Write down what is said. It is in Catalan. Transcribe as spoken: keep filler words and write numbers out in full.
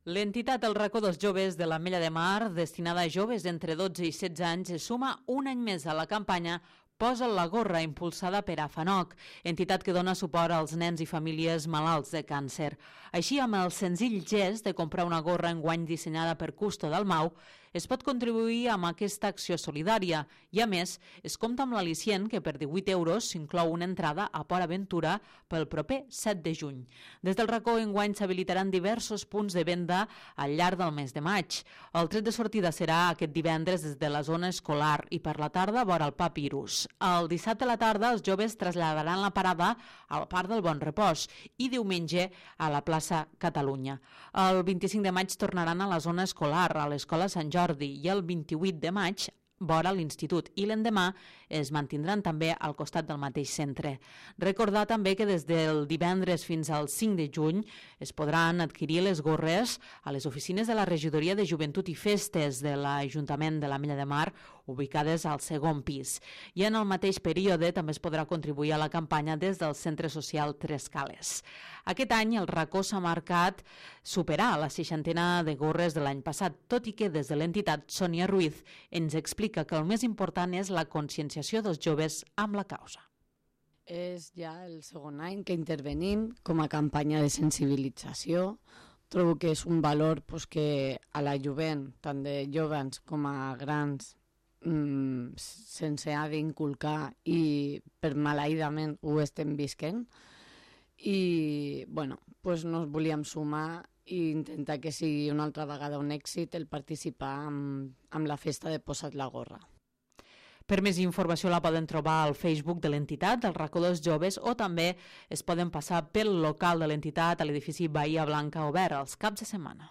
L'entitat El Racó dels Joves de l'Ametlla de Mar, destinada a joves d'entre dotze i setze anys, es suma un any més a la campanya Posa la gorra, impulsada per AFANOC, entitat que dona suport als nens i famílies malalts de càncer. Així, amb el senzill gest de comprar una gorra enguany dissenyada per Custo Dalmau, es pot contribuir amb aquesta acció solidària i, a més, es compta amb l'al·licient que per divuit euros s'inclou una entrada a Port Aventura pel proper set de juny. Des del Racó, enguany s'habilitaran diversos punts de venda al llarg del mes de maig. El tret de sortida serà aquest divendres des de la zona escolar i per la tarda vora el Papirus. El dissabte a la tarda els joves traslladaran la parada al Parc del Bon Repòs i diumenge a la plaça Catalunya. El vint-i-cinc de maig tornaran a la zona escolar, a l'Escola Sant Jordi, i el vint-i-vuit de maig vora l'institut, i l'endemà es mantindran també al costat del mateix centre. Recordar també que des del divendres fins al cinc de juny es podran adquirir les gorres a les oficines de la Regidoria de Joventut i Festes de l'Ajuntament de l'Ametlla de Mar, ubicades al segon pis. I en el mateix període també es podrà contribuir a la campanya des del Centre Social Tres Cales. Aquest any el Racó s'ha marcat superar la seixantena de gorres de l'any passat, tot i que des de l'entitat Sònia Ruiz ens explica que el més important és la conscienciació dels joves amb la causa. És ja el segon any que intervenim com a campanya de sensibilització. Trobo que és un valor pues, que a la jovent, tant de joves com a grans, mmm, sense ha d'inculcar i per maleïdament ho estem visquent. I bueno, pues nos volíem sumar i intentar que sigui una altra vegada un èxit el participar amb, amb la festa de Posa't la gorra. Per més informació la poden trobar al Facebook de l'entitat, del Racó dels Joves, o també es poden passar pel local de l'entitat a l'edifici Bahia Blanca obert els caps de setmana.